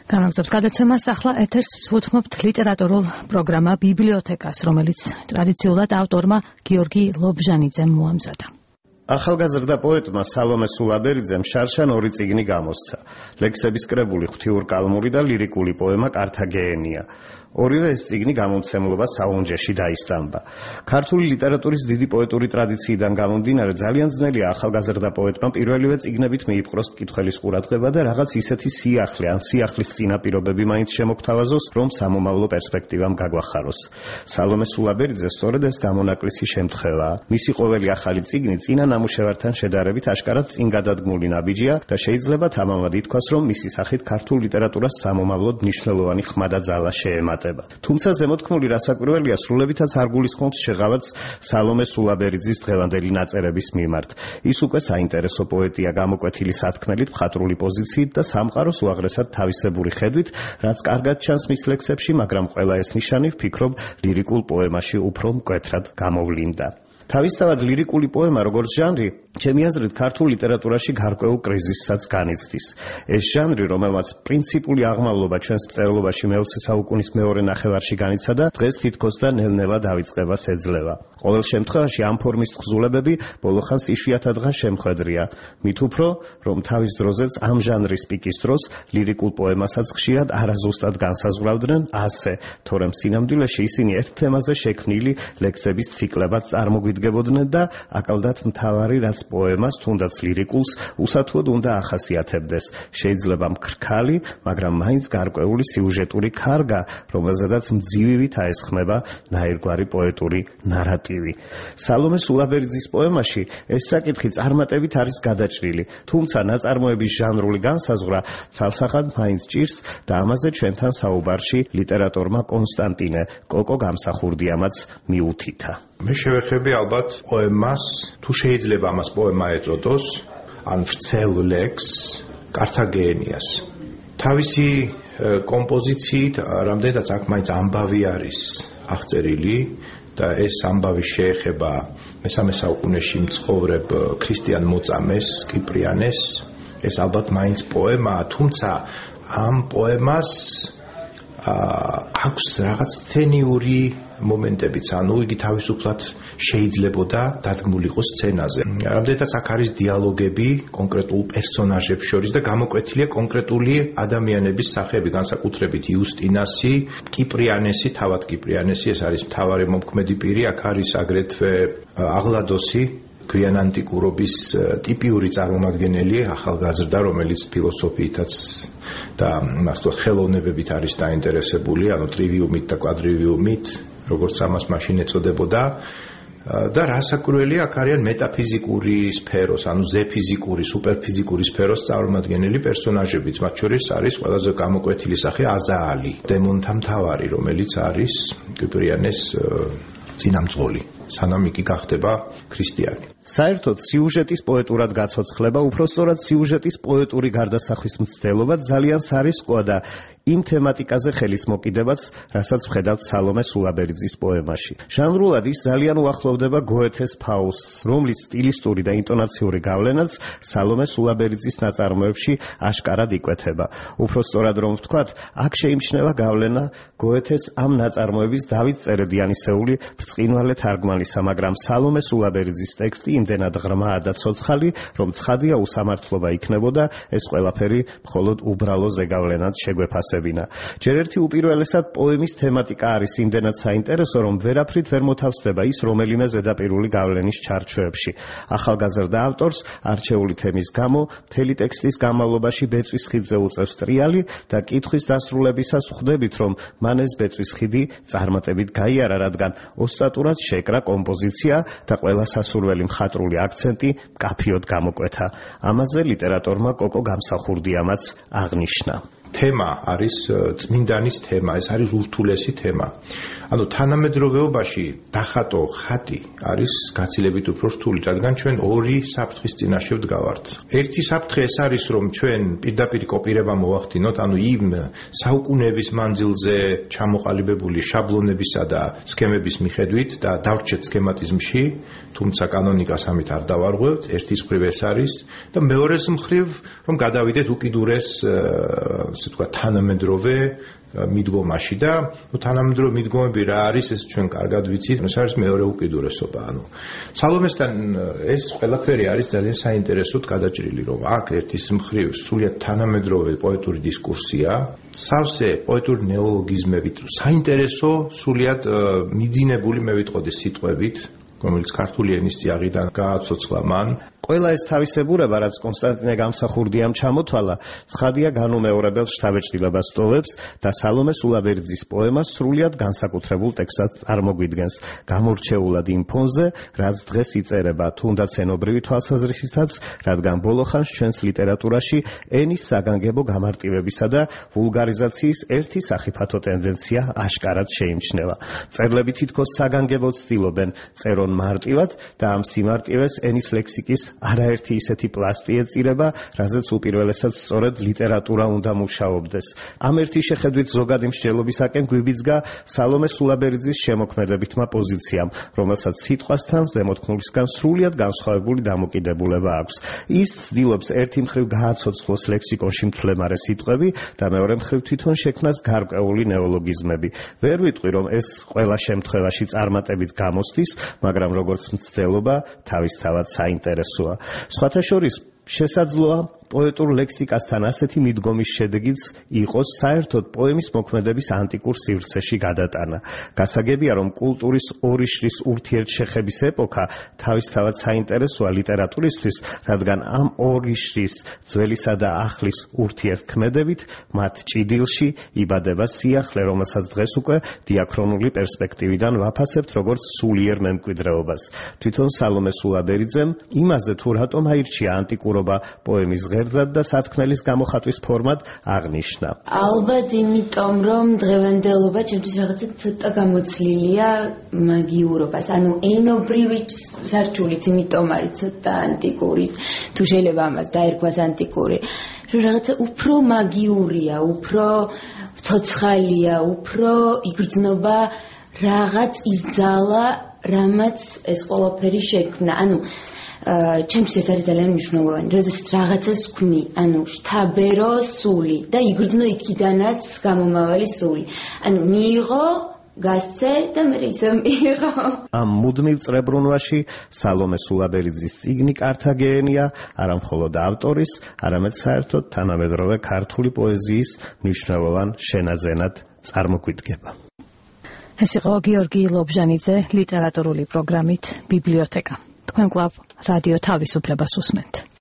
განაგრძობს გადაცემას ახლა ეთერს უთმობთ ლიტერატურულ პროგრამა ბიბლიოთეკას, რომელიც ტრადიციულად ავტორმა გიორგი ლობჟანიძემ მოამზადა. ახალგაზრდა პოეტმა სალომე სულაბერიძემ შარშან 2 წიგნი გამოსცა. ლექსების კრებული ღვთიურკალმური და ლირიკული პოემა კართაგენია. ორივე ეს წიგნი გამომცემლობა საუნჯეში დაისტამბა. ქართული ლიტერატურის დიდი პოეტური ტრადიციიდან გამომდინარე ძალიან ძნელია ახალგაზრდა პოეტმა პირველივე წიგნებით მიიპყროს მკითხველის ყურადღება და რაღაც ისეთი სიახლე ან სიახლის წინაპირობები მაინც შემოგთავაზოს, რომ სამომავლო პერსპექტივამ გაგვახაროს. სალომე სულაბერიძე სწორედ ეს გამონაკლისი შემთხვევაა. მისი ყოველი ახალი წიგნი წინა ნამუშევართან შედარებით აშკარად წინგადადგმული ნაბიჯია და შეიძლება თამამად ითქვას, რომ მისი სახით ქართულ ლიტერატურას სამომავლოდ მნიშვნელოვანი ხმა და ძალა შეემატება. თუმცა ზემოთქმული რასაკვირველია სრულებითაც არ გულისხმობს შეღავაც სალომე სულაბერიძის დღევანდელი ნაწერების მიმართ. ის უკვე საინტერესო პოეტია გამოკვეთილი სათქმელით, მხატვრული პოზიციით და სამყაროს უაღრესად თავისებური ხედვით, რაც კარგად ჩანს მის ლექსებში, მაგრამ ყველა ეს ნიშანი ვფიქრობ ლირიკულ პოემაში უფრო მკვეთრად გამოვლინდა. თავისთავად ლირიკული პოემა როგორც ჟანრი, ჩემი აზრით ქართულ ლიტერატურაში გარკვეულ კრიზისსაც განიცდის. ეს ჟანრი, რომელმაც პრინციპული აღმავლობა ჩვენს მწერლობაში მე-20 საუკუნის მეორე ნახევარში განიცადა, დღეს თითქოს და ნელ-ნელა დავიწყებას ეძლევა. ყოველ შემთხვევაში ამ ფორმის თხზულებები ბოლოხანს იშვიათადღა შემხედრია. მით უფრო, რომ თავის დროზეც ამ ჟანრის პიკის დროს ლირიკულ პოემასაც ხშირად არაზუსტად განსაზღვრავდნენ ასე, თორემ სინამდვილეში ისინი ერთ თემაზე შექმნილი ლექსების ციკლებად წარმოგვიდგებოდნენ და აკალდათ მთავარი, რაც პოემას, თუნდაც ლირიკულს, უსათუოდ უნდა ახასიათებდეს. შეიძლება მქრქალი, მაგრამ მაინც გარკვეული სიუჟეტური ქარგა, რომელზედაც მძივივით აესხმება ნაირგვარი პოეტური ნარატივი. სალომე სულაბერიძის პოემაში ეს საკითხი წარმატებით არის გადაჭრილი, თუმცა ნაწარმოების ჟანრული განსაზღვრა ცალსახად მაინც ჭირს და ამაზე ჩვენთან საუბარში ლიტერატორმა კონსტანტინე კოკო გამსახურდიამაც მიუთითა. მე შევეხები ალბათ პოემას, თუ შეიძლება ამას პოემა ეწოდოს, ან ვრცელ ლექსს, კართაგენიას. თავისი კომპოზიციით, რამდენადაც აქ მაინც ამბავი არის აღწერილი და ეს ამბავი შეეხება მე-3 საუკუნეში მცხოვრებ ქრისტიან მოწამეს, კიპრიანეს. ეს ალბათ მაინც პოემაა, თუმცა ამ პოემას აქვს რაღაც სცენიური მომენტებიც, ანუ იგი თავისუფლად შეიძლებოდა დადგმული იყოს სცენაზე. რამდენადაც აქ არის დიალოგები კონკრეტულ პერსონაჟებს შორის და გამოკვეთილია კონკრეტული ადამიანების სახეები, განსაკუთრებით იუსტინასი, კიპრიანესი, თავად კიპრიანესი, ეს არის მთავარი მომქმედი პირი, აქ არის აგრეთვე აღლადოსი, გვიანანტიკურობის ტიპიური წარმომადგენელი, ახალგაზრდა, რომელიც ფილოსოფიითაც და მასწავლად ხელოვნებებით არის დაინტერესებული, ანუ ტრივიუმით და კვადრივიუმით, როგორც ამას მაშინ ეწოდებოდა. და რასაკვირველია, აქ არიან მეტაფიზიკური სფეროს, ანუ ზეფიზიკური, სუპერფიზიკური სფეროს წარმომადგენელი პერსონაჟებიც, მათ შორის არის ყველაზე გამოკვეთილი სახე აზაალი, დემონთა მთავარი, რომელიც არის კიპრიანეს წინამძღოლი, სანამ იგი გახდება ქრისტიანი. საერთოდ სიუჟეტის პოეტურად გაცოცხლება, უпроსწორად სიუჟეტის პოეტური გარდასახვის მცდელობა ძალიან სარისკოა და იმ თემატიკაზე ხელის მოკიდებაც, რასაც ვხედავთ სალომე სულაბერიძის პოემაში. ჟანრულად ის ძალიან უახლოვდება გოეთეს ფაუსტს, რომლის სტილისტური და ინტონაციური გავლენაც სალომე სულაბერიძის ნაწარმოებში აშკარად იკვეთება. უпроსწორად რომ ვთქვათ, აქ შეიმჩნევა გავლენა გოეთეს ამ ნაწარმოების დავით წერედიანისეული ბრწყინვალე თარგმანისა, მაგრამ სალომე სულაბერიძის ტექსტი იმდენად ღრმაა და ცოცხალი, რომ ცხადია უსამართლობა იქნებოდა ეს ყველაფერი მხოლოდ უბრალო ზეგავლენად შეგვეფასებინა. ჯერ ერთი უპირველესად პოემის თემატიკა არის იმდენად საინტერესო, რომ ვერაფრით ვერ მოთავსდება ის რომელიმე ზედაპირული გავლენის ჩარჩოებში. ახალგაზრდა ავტორს არჩეული თემის გამო მთელი ტექსტის განმავლობაში ბეწვის ხიდზე უწევს ტრიალი და კითხვის დასრულებისას ხვდებით, რომ მან ეს ბეწვის ხიდი წარმატებით გაიარა, რადგან ოსტატურად შეკრა კომპოზიცია და ყველა სასურველი მხატვრული აქცენტი მკაფიოდ გამოკვეთა. ამაზე ლიტერატორმა კოკო გამსახურდიამაც აღნიშნა. თემა არის წმინდანის თემა, ეს არის ურთულესი თემა. ანუ თანამედროვეობაში დახატო ხატი არის გაცილებით უფრო რთული, რადგან ჩვენ ორი საფრთხის წინაშე ვდგავართ. ერთი საფრთხე ეს არის, რომ ჩვენ პირდაპირ კოპირება მოვახდინოთ, ანუ იმ საუკუნეების მანძილზე ჩამოყალიბებული შაბლონებისა და სქემების მიხედვით და დავრჩეთ სქემატიზმში, თუმცა კანონიკას ამით არ დავარღვევთ, ერთის მხრივ ეს არის და მეორეს მხრივ, რომ გადავიდეთ უკიდურეს ასე ვთქვათ, თანამედროვე მიდგომაში და თანამედროვე მიდგომები რა არის, ეს ჩვენ კარგად ვიცით, ეს არის მეორე უკიდურესობა. სალომესთან ეს ყველაფერი არის ძალიან საინტერესოდ გადაჭრილი, რომ აქ ერთის მხრივ სრულიად თანამედროვე პოეტური დისკურსია, სავსე პოეტური ნეოლოგიზმებით, საინტერესო, სრულიად მიძინებული, მე ვიტყოდი, სიტყვებით, რომელიც ქართული ენის წიაღიდან გააცოცხლა მან. ყველა ეს თავისებურება, რაც კონსტანტინე გამსახურდიამ ჩამოთვალა, ცხადია განუმეორებელ შთაბეჭდილებას ტოვებს და სალომე სულაბერძის პოემას სრულიად განსაკუთრებულ ტექსტად წარმოგვიდგენს, გამორჩეულად იმ ფონზე, რაც დღეს იწერება, თუნდაც ენობრივი თვალსაზრისითაც, რადგან ბოლოხანს ჩვენს ლიტერატურაში ენის საგანგებო გამარტივებისა და ვულგარიზაციის ერთი სახიფათო ტენდენცია აშკარად შეიმჩნევა. მწერლები თითქოს საგანგებოდ ცდილობენ წერონ მარტივად და ამ სიმარტივეს ენის ლექსიკის არაერთი ისეთი პლასტი ეწირება, რაზეც უპირველესად სწორედ ლიტერატურა უნდა მუშაობდეს. ამ ერთი შეხედვით ზოგადი მსჯელობისაკენ გვიბიძგა სალომე სულაბერძის შემოქმედებითმა პოზიციამ, რომელსაც სიტყვასთან ზემოთქმულისგან სრულიად განსხვავებული დამოკიდებულება აქვს. ის ცდილობს ერთი მხრივ გააცოცხლოს ლექსიკონში მთლემარე სიტყვები და მეორე მხრივ თვითონ შექმნას გარკვეული ნეოლოგიზმები. ვერ ვიტყვი, რომ ეს ყველა შემთხვევაში წარმატებით გამოსდის, მაგრამ როგორც მცდელობა თავისთავად საინტერესოა. სხვათა შორის შესაძლოა პოეტურ ლექსიკასთან ასეთი მიდგომის შედეგიც იყოს საერთოდ პოემის მოქმედების ანტიკურ სივრცეში გადატანა. გასაგებია, რომ კულტურის ორი შრის ურთიერთშეხების ეპოქა თავისთავად საინტერესოა ლიტერატურისთვის, რადგან ამ ორი შრის ძველისა და ახლის ურთიერთქმედებით მათ ჭიდილში იბადება სიახლე, რომელსაც დღეს უკვე დიაქრონული პერსპექტივიდან ვაფასებთ როგორც სულიერ მემკვიდრეობას. თვითონ სალომე სულაბერიძემ იმაზე, თუ რატომ აირჩია ანტიკურობა პოემის ღერძად და სათქმელის გამოხატვის ფორმად აღნიშნა. ალბათ იმიტომ, რომ დღევანდელობა ჩემთვის რაღაცა ცოტა გამოცლილია მაგიურობას, ანუ ენობრივი სარჩულიც იმიტომ არის ცოტა ანტიკური, თუ შეიძლება ამას დაერქვას ანტიკური, რომ რაღაცა უფრო მაგიურია, უფრო ცოცხალია, უფრო იგრძნობა რაღაც ის ძალა, რამაც ეს ყველაფერი შექმნა. ანუ ჩემთვის ეს არის ძალიან მნიშვნელოვანი, როდესაც რაღაცას ვქმნი, ანუ შთაბერო სული და იგრძნო იქიდანაც გამომავალი სული. ანუ მიიღო, გასცე და მე ისე მიიღო. ამ მუდმივ წრებრუნვაში სალომე სულაბერიძის წიგნი კართაგენია არა მხოლოდ ავტორის, არამედ საერთოდ თანამედროვე ქართული პოეზიის მნიშვნელოვან შენაძენად წარმოგვიდგება. ეს იყო გიორგი ლობჟანიძე ლიტერატურული პროგრამით ბიბლიოთეკა. თქვენ კვლავ რადიო თავისუფლებას უსმენთ.